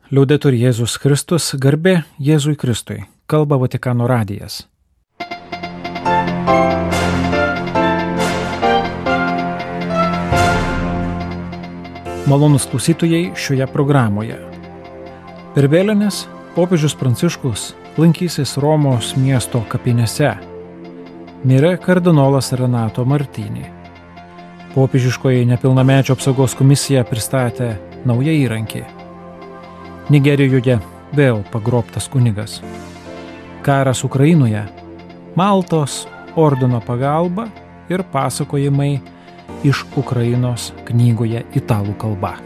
Liaudetur Jėzus Kristus, garbė Jėzui Kristui, kalba Vatikano radijas. Malonūs klausytojai šioje programoje. Per vėlines popiežius Pranciškus lankysis Romos miesto kapinėse. Mirė kardinolas Renato Martini. Popiežiškoji nepilnamečio apsaugos komisija pristatė naują įrankį. Nigerijoje vėl pagrobtas kunigas. Karas Ukrainoje, Maltos ordino pagalba ir pasakojimai iš Ukrainos knygoje italų kalba.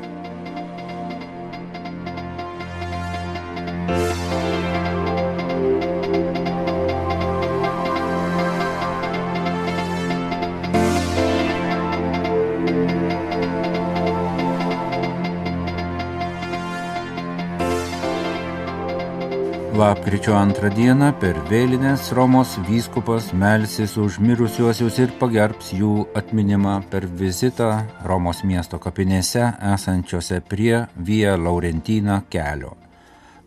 Lapkričio 2 dieną per vėlines Romos vyskupas melsis už mirusiuosius ir pagerbs jų atminimą per vizitą Romos miesto kapinėse esančiose prie Via Laurentina kelio.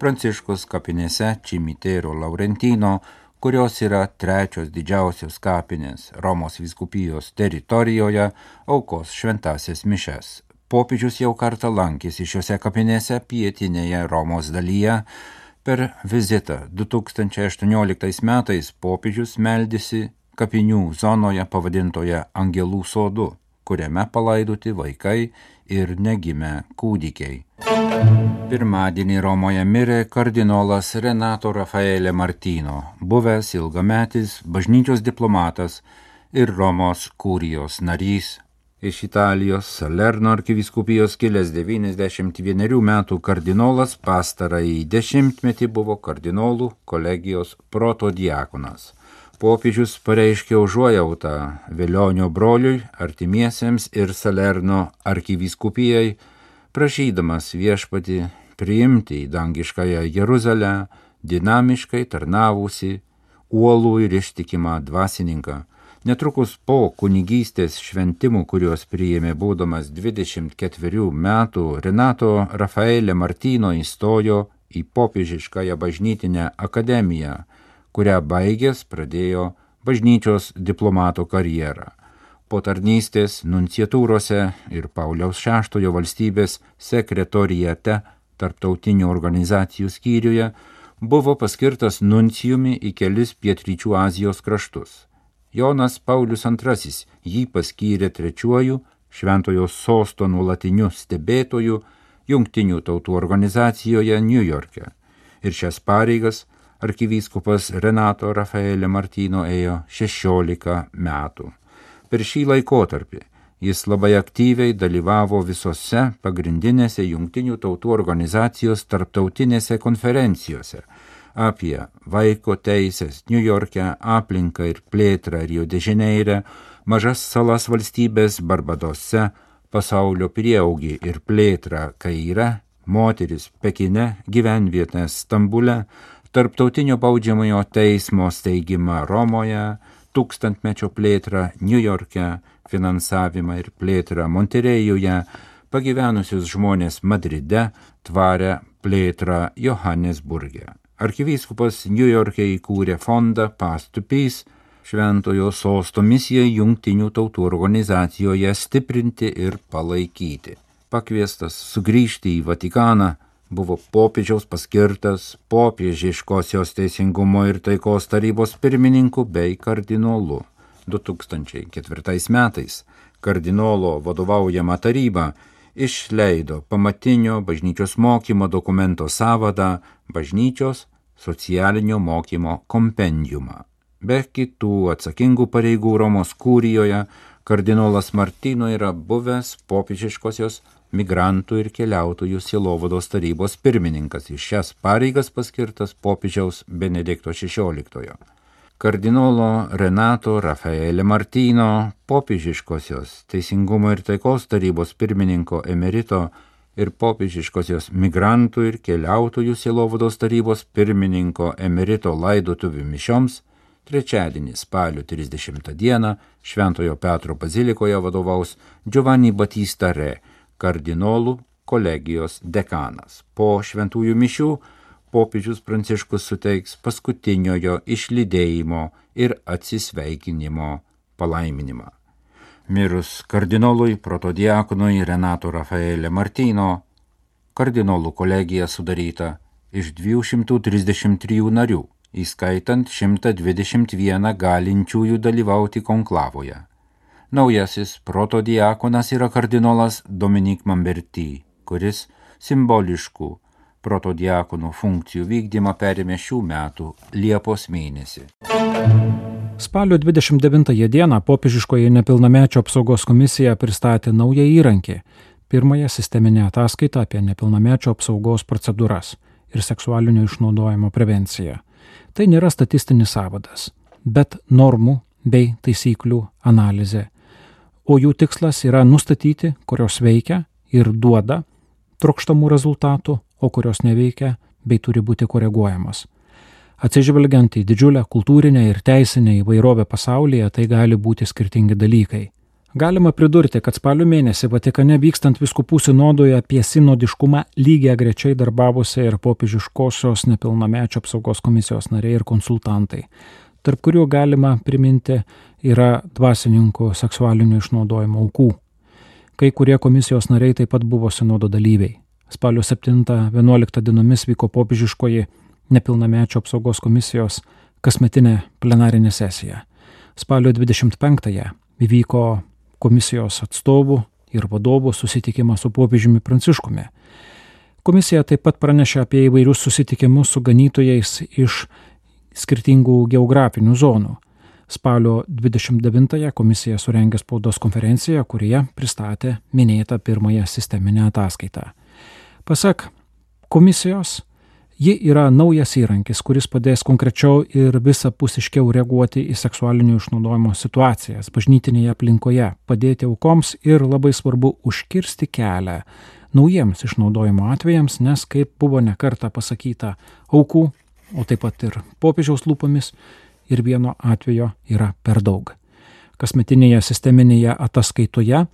Pranciškus kapinėse Cimitero Laurentino, kurios yra trečios didžiausios kapinės Romos vyskupijos teritorijoje, aukos šventąsias mišias. Popiežius jau kartą lankėsi šiose kapinėse pietinėje Romos dalyje. Per vizitą 2018 metais popiežius meldėsi kapinių zonoje pavadintoje Angelų sodu, kuriame palaidoti vaikai ir negimę kūdikiai. Pirmadienį Romoje mirė kardinolas Renato Raffaele Martino, buvęs ilgametis bažnyčios diplomatas ir Romos kurijos narys. Iš Italijos Salerno arkivyskupijos kilęs 91 metų kardinolas pastarąjį dešimtmetį buvo kardinolų kolegijos protodiakonas. Popiežius pareiškė užuojautą Velionio broliui, artimiesiems ir Salerno arkivyskupijai, prašydamas viešpatį priimti į dangiškąją Jeruzalę dinamiškai tarnavusi uolų ir ištikimą dvasininką. Netrukus po kunigystės šventimų, kuriuos priėmė būdamas 24 metų, Renato Raffaele Martino įstojo į popiežiškąją bažnytinę akademiją, kurią baigęs pradėjo bažnyčios diplomato karjerą. Po tarnystės nunciatūrose ir Pauliaus VI valstybės sekretorijate tarptautinių organizacijų skyriuje buvo paskirtas nuncijumi į kelis pietryčių Azijos kraštus. Jonas Paulius II jį paskyrė trečiuoju Šventojo sosto nuolatiniu stebėtoju Jungtinių tautų organizacijoje Niujorke. Ir šias pareigas arkivyskupas Renato Raffaele Martino ėjo 16 metų. Per šį laikotarpį jis labai aktyviai dalyvavo visose pagrindinėse Jungtinių tautų organizacijos tarptautinėse konferencijose apie vaiko teisės Niujorke, aplinką ir plėtrą Rio de Žaneire, mažas salas valstybės Barbadose, pasaulio prieaugį ir plėtrą Kaire, moteris Pekine, gyvenvietės Stambule, tarptautinio baudžiamojo teismo steigimą Romoje, tūkstantmečio plėtrą Niujorke, finansavimą ir plėtrą Monterėjuje, pagyvenusius žmonės Madride, tvarę plėtrą Johannesburge. Arkivyskupas Niujorke įkūrė fondą Path to Peace, Šventojo sosto misijai Jungtinių tautų organizacijoje stiprinti ir palaikyti. Pakviestas sugrįžti į Vatikaną, buvo popiežiaus paskirtas popiežiškosios teisingumo ir taikos tarybos pirmininku bei kardinolu. 2004 metais kardinolo vadovaujama taryba išleido pamatinio bažnyčios mokymo dokumento sąvadą Bažnyčios socialinio mokymo kompendiumą. Be kitų atsakingų pareigų Romos kurijoje, kardinolas Martino yra buvęs popiežiškosios migrantų ir keliautojų sielovados tarybos pirmininkas. Iš šias pareigas paskirtas popiežiaus Benedikto XVI. Kardinolo Renato Raffaele Martino, popiežiškosios teisingumo ir taikos tarybos pirmininko emerito ir popiežiškosios migrantų ir keliautojų sielovados tarybos pirmininko emerito laidotuvių mišioms trečiadienį spalio 30 dieną Šventojo Petro bazilikoje vadovaus Giovanni Battista Re, kardinolų kolegijos dekanas. Po šventųjų mišių popiežius Pranciškus suteiks paskutiniojo išlydėjimo ir atsisveikinimo palaiminimą. Mirus kardinolui protodiakonui Renato Rafaele Martino, kardinolų kolegija sudaryta iš 233 narių, įskaitant 121 galinčiųjų dalyvauti konklavoje. Naujasis protodiakonas yra kardinolas Dominik Mamberti, kuris simboliškų protodiakonų funkcijų vykdymą perėmė šių metų Liepos mėnesį. Spalio 29 dieną popiežiškoji nepilnamečio apsaugos komisija pristatė naują įrankį – pirmąją sisteminę ataskaitą apie nepilnamečio apsaugos procedūras ir seksualinio išnaudojimo prevenciją. Tai nėra statistinis sąvadas, bet normų bei taisyklių analizė, o jų tikslas yra nustatyti, kurios veikia ir duoda trokštamų rezultatų, o kurios neveikia bei turi būti koreguojamos. Atsižvelgiant į didžiulę kultūrinę ir teisinę įvairovę pasaulyje, tai gali būti skirtingi dalykai. Galima pridurti, kad spalio mėnesį Vatikane vykstant vyskupų sinodui apie sinodiškumą lygiagrečiai darbavosi ir popiežiškosios nepilnamečio apsaugos komisijos nariai ir konsultantai, tarp kurių galima priminti yra dvasininkų seksualinio išnaudojimo aukų. Kai kurie komisijos nariai taip pat buvo sinodo dalyviai. Spalio 7-11 dienomis vyko popiežiškoji nepilnamečio apsaugos komisijos kasmetinė plenarinė sesija. Spalio 25-ąją įvyko komisijos atstovų ir vadovų susitikimas su popiežiumi Pranciškumi. Komisija taip pat pranešė apie įvairius susitikimus su ganytojais iš skirtingų geografinių zonų. Spalio 29-ąją komisija surengė spaudos konferenciją, kurioje pristatė minėtą pirmąją sisteminę ataskaitą. Pasak komisijos, ji yra naujas įrankis, kuris padės konkrečiau ir visapusiškiau reaguoti į seksualinio išnaudojimo situacijas bažnytinėje aplinkoje, padėti aukoms ir labai svarbu užkirsti kelią naujiems išnaudojimo atvejams, nes, kaip buvo nekartą pasakyta aukų, o taip pat ir popiežiaus lūpomis, ir vieno atvejo yra per daug. Kasmetinėje sisteminėje ataskaitoje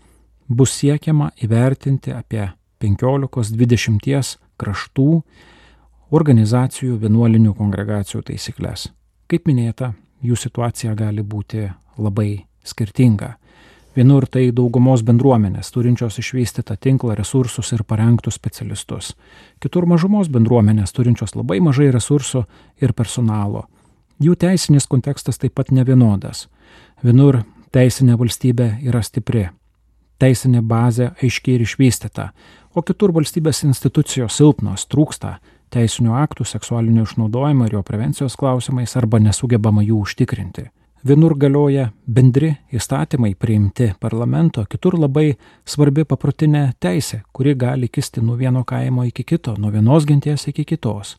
bus siekiama įvertinti apie 15-20 kraštų, organizacijų, vienuolinių kongregacijų taisyklės. Kaip minėta, jų situacija gali būti labai skirtinga. Vienur tai daugumos bendruomenės, turinčios išvystytą tinklą, resursus ir parengtus specialistus. Kitur mažumos bendruomenės, turinčios labai mažai resursų ir personalo. Jų teisinis kontekstas taip pat nevienodas. Vienur teisinė valstybė yra stipri, teisinė bazė aiškiai ir išvystyta, o kitur valstybės institucijos silpnos, trūksta teisinių aktų seksualinio išnaudojimo ir jo prevencijos klausimais arba nesugebama jų užtikrinti. Vienur galioja bendri įstatymai priimti parlamento, kitur labai svarbi paprotinė teisė, kuri gali kisti nuo vieno kaimo iki kito, nuo vienos genties iki kitos.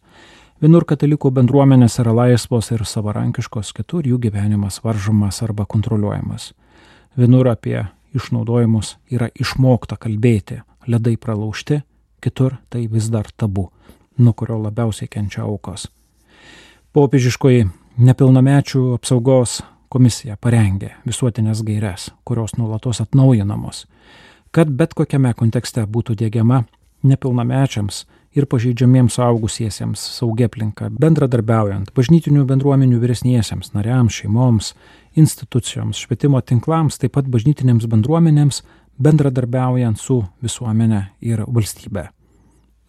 Vienur katalikų bendruomenės yra laisvos ir savarankiškos, kitur jų gyvenimas varžomas arba kontroliuojamas. Vienur apie išnaudojimus yra išmokta kalbėti, ledai pralaužti, kitur tai vis dar tabu, nuo kurio labiausiai kenčia aukos. Popiežiškoji nepilnamečių apsaugos komisija parengė visuotinės gaires, kurios nuolatos atnaujinamos, kad bet kokiame kontekste būtų diegiama nepilnamečiams ir pažeidžiamiems suaugusiesiems saugi aplinka, bendradarbiaujant bažnytinių bendruomenių vyresniesiems nariams, šeimoms, institucijoms, švietimo tinklams, taip pat bažnytinėms bendruomenėms, bendradarbiaujant su visuomenė ir valstybe.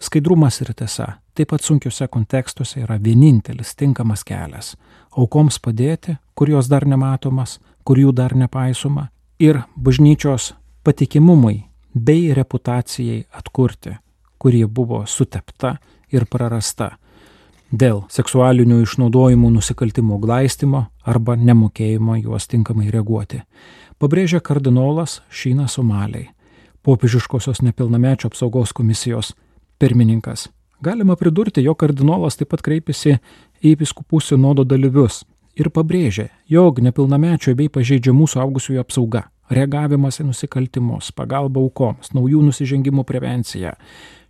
Skaidrumas ir tiesa, taip pat sunkiuose kontekstuose yra vienintelis tinkamas kelias aukoms padėti, kur jos dar nematomas, kur jų dar nepaisoma, ir bažnyčios patikimumui bei reputacijai atkurti, kurie buvo sutepta ir prarasta dėl seksualinių išnaudojimų nusikaltimų glaistymo arba nemokėjimo juos tinkamai reaguoti. Pabrėžia kardinolas Šynas Somaliai, popiežiškosios nepilnamečio apsaugos komisijos pirmininkas. Galima pridurti, jog kardinolas taip pat kreipėsi į vyskupų sinodo dalyvius ir pabrėžė, jog nepilnamečio bei pažeidžiamų suaugusiųjų apsauga, reagavimas į nusikaltimus, pagalba aukoms, naujų nusižengimų prevencija,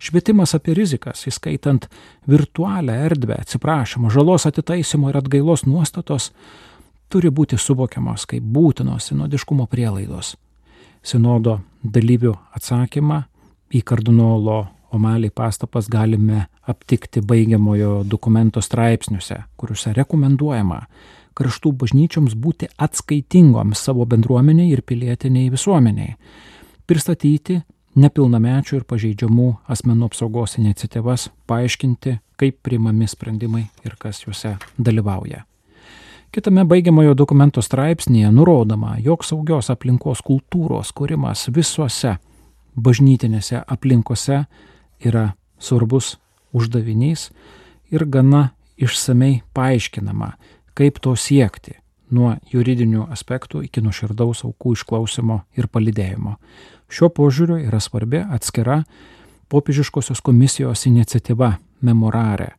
švietimas apie rizikas, įskaitant virtualią erdvę, atsiprašymą, žalos atitaisymo ir atgailos nuostatos, turi būti suvokiamos kaip būtinos sinodiškumo prielaidos. Sinodo dalyvių atsakymą į kardinolo O'Malley pastabas galime aptikti baigiamojo dokumento straipsniuose, kuriuose rekomenduojama kraštų bažnyčioms būti atskaitingoms savo bendruomeniai ir pilietiniai visuomeniai, pristatyti nepilnamečių ir pažeidžiamų asmenų apsaugos iniciatyvas, paaiškinti, kaip priimami sprendimai ir kas juose dalyvauja. Kitame baigiamojo dokumento straipsnėje nurodoma, jog saugios aplinkos kultūros kūrimas visuose bažnytinėse aplinkose yra svarbus uždavinys ir gana išsamei paaiškinama, kaip to siekti nuo juridinių aspektų iki nuoširdaus aukų išklausimo ir palydėjimo. Šiuo požiūriu yra svarbi atskira popiežiškosios komisijos iniciatyva Memorare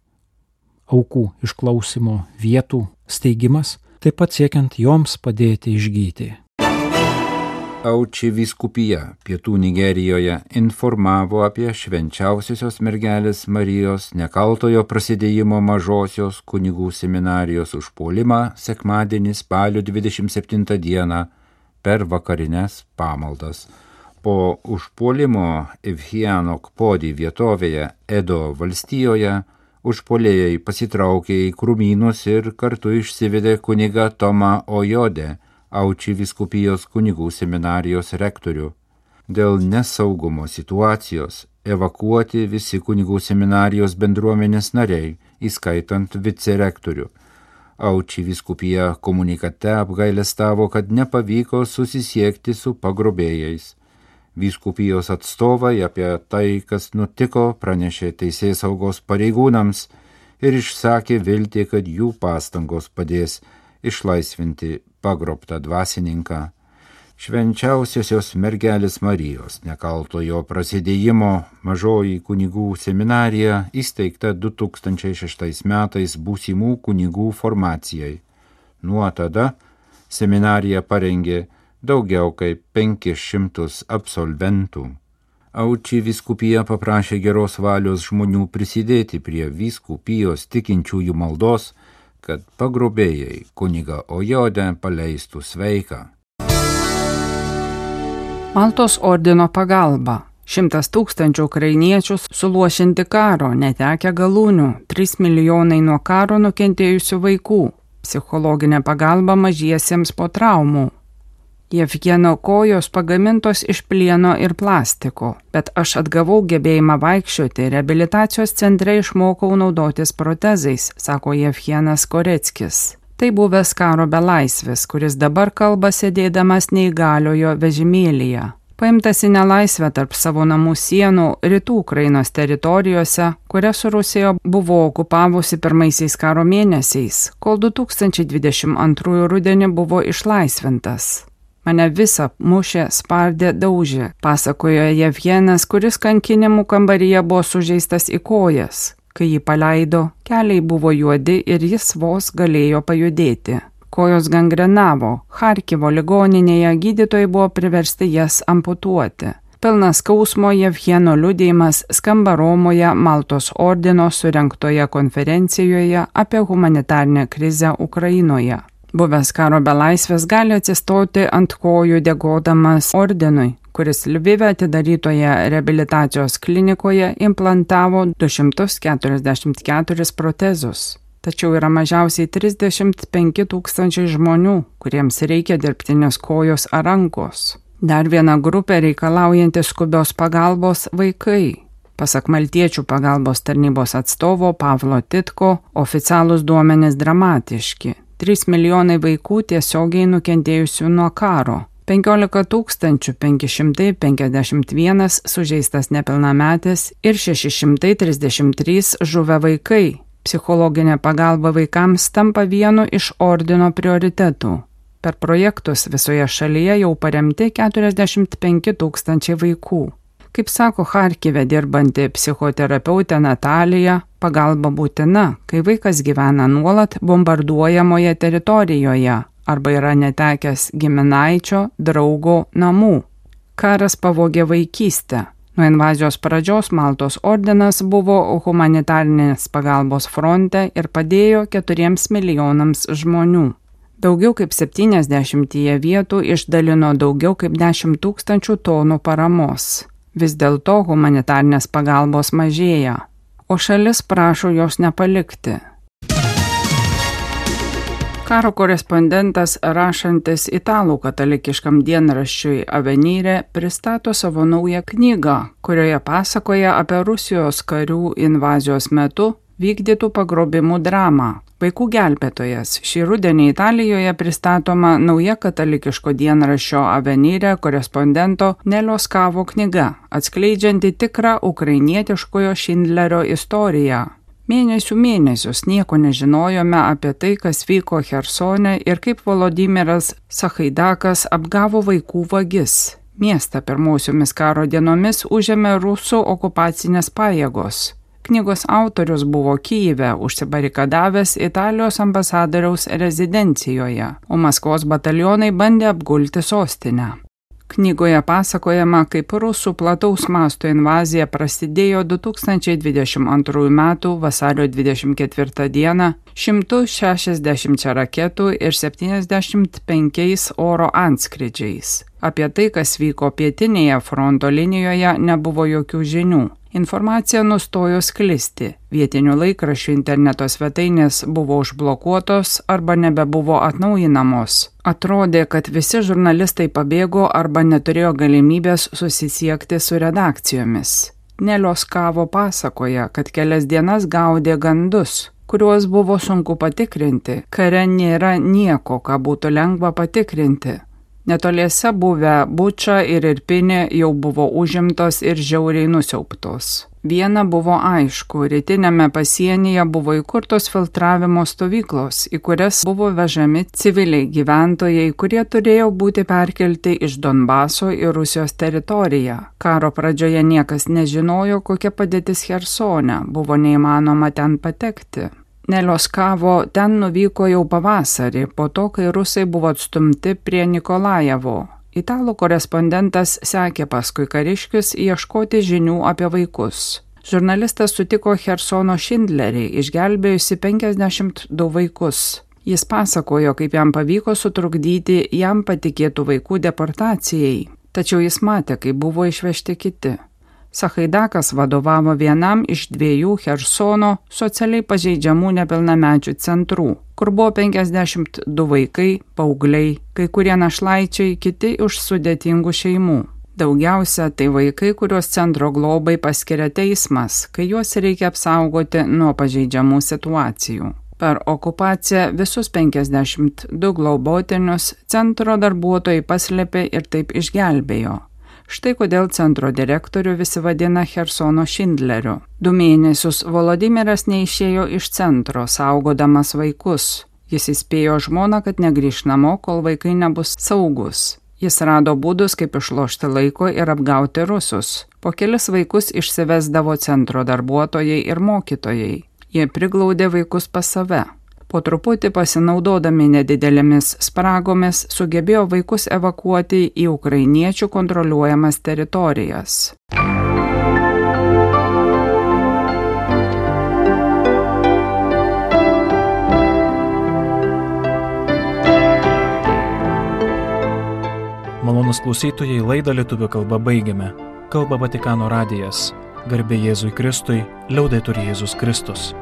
aukų išklausimo vietų steigimas, taip pat siekiant joms padėti išgyti. Auči vyskupija Pietų Nigerijoje informavo apie švenčiausiosios mergelės Marijos nekaltojo prasidėjimo mažosios kunigų seminarijos užpuolimą sekmadienį spalio 27 dieną per vakarines pamaldas. Po užpuolimo Evhiano Kpodi vietovėje Edo valstijoje užpuolėjai pasitraukė į krūmynus ir kartu išsivedė kunigą Tomą Ojodę, Auči vyskupijos kunigų seminarijos rektorių. Dėl nesaugumo situacijos evakuoti visi kunigų seminarijos bendruomenės nariai, įskaitant vicerektorių. Auči vyskupija komunikate apgailestavo, kad nepavyko susisiekti su pagrobėjais. Vyskupijos atstovai apie tai, kas nutiko, pranešė teisėsaugos pareigūnams ir išsakė viltį, kad jų pastangos padės išlaisvinti pagrobtą dvasininką. Švenčiausiosios mergelės Marijos nekaltojo prasidėjimo mažoji kunigų seminarija įsteigta 2006 metais būsimų kunigų formacijai. Nuo tada seminarija parengė daugiau kaip 500 absolventų. Auči vyskupija paprašė geros valios žmonių prisidėti prie vyskupijos tikinčiųjų maldos, kad pagrobėjai kunigą Ojodę paleistų sveiką. Maltos ordino pagalba. 100 000 ukrainiečių suluošinti karo, netekę galūnių, 3 milijonai nuo karo nukentėjusių vaikų, psichologinė pagalba mažiesiems po traumų. Jevgeno kojos pagamintos iš plieno ir plastiko, bet aš atgavau gebėjimą vaikščioti, reabilitacijos centre išmokau naudotis protezais, sako Jevgenas Koreckis. Tai buvęs karo belaisvis, kuris dabar kalba sėdėdamas neįgaliojo vežimėlyje. Paimtas į nelaisvę tarp savo namų sienų rytų Ukrainos teritorijose, kurias Rusija buvo okupavusi pirmaisiais karo mėnesiais, kol 2022 rudenį buvo išlaisvintas. Mane visą mušė, spardė, daužė, pasakojo Jevgenas, kuris kankinimų kambaryje buvo sužeistas į kojas. Kai jį paleido, keliai buvo juodi ir jis vos galėjo pajudėti. Kojos gangrenavo, Charkivo ligoninėje gydytojai buvo priversti jas amputuoti. Pilnas skausmo Jevgeno liudijimas skamba Romoje Maltos ordino surengtoje konferencijoje apie humanitarinę krizę Ukrainoje. Buvęs karo belaisvės gali atsistoti ant kojų dėkodamas ordinui, kuris Lvive atidarytoje reabilitacijos klinikoje implantavo 244 protezus. Tačiau yra mažiausiai 35 000 žmonių, kuriems reikia dirbtinės kojos ar rankos. Dar viena grupė reikalaujanti skubios pagalbos – vaikai. Pasak maltiečių pagalbos tarnybos atstovo Pavlo Titko, oficialūs duomenys dramatiški. 3 milijonai vaikų tiesiogiai nukentėjusių nuo karo, 15 551 sužeistas nepilnametis ir 633 žuvę vaikai. Psichologinė pagalba vaikams tampa vienu iš ordino prioritetų. Per projektus visoje šalyje jau paremti 45 000 vaikų. Kaip sako Charkive dirbanti psichoterapeutė Natalija, pagalba būtina, kai vaikas gyvena nuolat bombarduojamoje teritorijoje arba yra netekęs giminaičio, draugo, namų. Karas pavogė vaikystę. Nuo invazijos pradžios Maltos ordinas buvo humanitarinės pagalbos fronte ir padėjo 4 milijonams žmonių. Daugiau kaip 70 vietų išdalino daugiau kaip 10 000 tonų paramos. Vis dėlto humanitarnės pagalbos mažėja, o šalis prašo jos nepalikti. Karo korespondentas rašantis italų katalikiškam dienraščiui Avvenire pristato savo naują knygą, kurioje pasakoja apie Rusijos karių invazijos metu vykdytų pagrobimų dramą. Vaikų gelbėtojas. Šį rudenį Italijoje pristatoma nauja katalikiško dienraščio Avvenire korespondento Nelio Scavo knyga, atskleidžianti tikrą ukrainietiškojo Šindlerio istoriją. Mėnesius nieko nežinojome apie tai, kas vyko Chersone ir kaip Volodymyras Sachaidakas apgavo vaikų vagis. Miestą pirmosiomis karo dienomis užėmė rusų okupacinės pajėgos. Knygos autorius buvo Kyjive užsibarikadavęs Italijos ambasadoriaus rezidencijoje, o Maskvos batalionai bandė apgulti sostinę. Knygoje pasakojama, kaip rusų plataus masto invazija prasidėjo 2022 m. vasario 24 d. 160 raketų ir 75 oro antskrydžiais. Apie tai, kas vyko pietinėje fronto linijoje, nebuvo jokių žinių. Informacija nustojo sklisti. Vietinių laikraščių interneto svetainės buvo užblokuotos arba nebebuvo atnaujinamos. Atrodė, kad visi žurnalistai pabėgo arba neturėjo galimybės susisiekti su redakcijomis. Nelio Scavo pasakoja, kad kelias dienas gaudė gandus, kuriuos buvo sunku patikrinti. Kare nėra nieko, ką būtų lengva patikrinti. Netoliese buvę Buča ir Irpinė jau buvo užimtos ir žiauriai nusiaubtos. Viena buvo aišku, rytinėme pasienyje buvo įkurtos filtravimo stovyklos, į kurias buvo vežami civiliai gyventojai, kurie turėjo būti perkelti iš Donbaso į Rusijos teritoriją. Karo pradžioje niekas nežinojo, kokia padėtis Chersone, buvo neįmanoma ten patekti. Nelio Scavo ten nuvyko jau pavasarį, po to, kai rusai buvo atstumti prie Nikolajevo. Italų korespondentas sekė paskui kariškius ieškoti žinių apie vaikus. Žurnalistas sutiko Chersono Šindlerį, išgelbėjusi 52 vaikus. Jis pasakojo, kaip jam pavyko sutrukdyti jam patikėtų vaikų deportacijai, tačiau jis matė, kaip buvo išvežti kiti. Sachaidakas vadovavo vienam iš 2 Chersono socialiai pažeidžiamų nepilnamečių centrų, kur buvo 52 vaikai, paaugliai, kai kurie našlaičiai, kiti iš sudėtingų šeimų. Daugiausia tai vaikai, kuriuos centro globai paskiria teismas, kai juos reikia apsaugoti nuo pažeidžiamų situacijų. Per okupaciją visus 52 globotinius centro darbuotojai paslėpė ir taip išgelbėjo. Štai kodėl centro direktorių visi vadina Chersono Šindleriu. 2 mėnesius Volodymyras neišėjo iš centro, saugodamas vaikus. Jis įspėjo žmoną, kad negrįš namo, kol vaikai nebus saugus. Jis rado būdus, kaip išlošti laiko ir apgauti rusus. Po kelis vaikus išsivesdavo centro darbuotojai ir mokytojai. Jie priglaudė vaikus pas save. Po truputį pasinaudodami nedidelėmis spragomis sugebėjo vaikus evakuoti į ukrainiečių kontroliuojamas teritorijas. Malonūs klausytojai, laidą lietuvių kalba baigiame. Kalba Vatikano radijas. Garbė Jėzui Kristui, liaudetur Jėzus Kristus.